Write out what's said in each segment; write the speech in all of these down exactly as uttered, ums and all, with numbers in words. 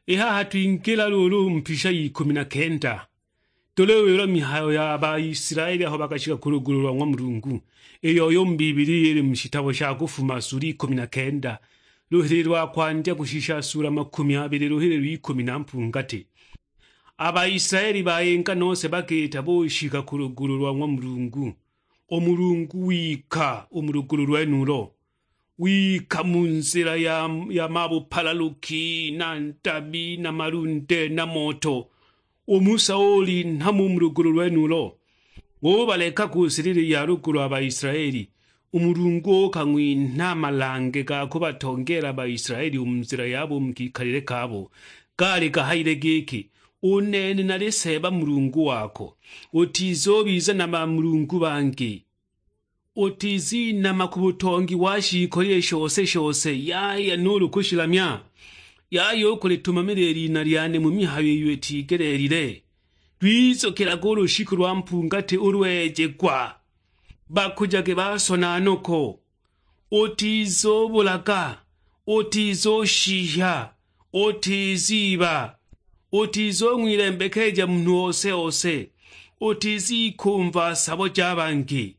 I haha twingila luulu mpisha y'ikumi na kenda. Tuliwila mihayo ya Baisilaeli aho bakashika ku lugulu lwa ng'wa Mulungu, iyo yo mu Bibilia ili mu shitabo sha Kufuma sula ikumi na kenda, luhili lwa kwandya kushisha sula makumi abili, luhili lw'ikumi na mpungati. A Baisilaeli bayinga nose bakiita bushika ku lugulu lwa ng'wa Mulungu. U Mulungu wika u mu lugulu lwenulo, wika mu nzila ya, ya mabupalaluki, na ntabi, na malunde, na moto. U Musa ulinha mu lugulu lwenulo, ubaleka ku silili ya lugulu a Baisilaeli. U Mulungu ukang'winha a malange ga kubatongeela a Baisilaeli u mu nzila yabo u mu kikalile kabo. Gaali gahayile giki, "U nene nali Seeba Mulungu wako, utizubiza na bamulungu bangi." Utizinama ku butongi wa shiikolile shose-shose, yaya nuulu kushilamya. Yaya u kulitumamila i lina lyane mu mihayo iyo itigeleelile. Lwizukilaga u lushiku lwa mpungati ulweegwa. Bakujage basona noko. Utizubulaga, utizushihya, utiziiba, utizung'wilembekeja munhu ose-ose, utizikumva sabo ja bangi.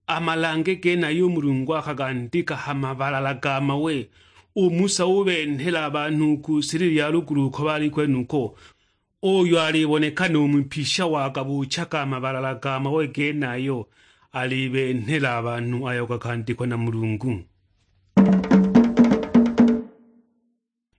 A malange genayo u Mulungu akagandika ha mabalala ga mawe, u Musa ubenhela a banhu u ku silili ya lugulu uko bali kwenuko. Uyo aliboneka nu mwipisha wagabuuchaga a mabalala ga mawe genayo, alibenhela a banhu ayo gakandikwa na Mulungu.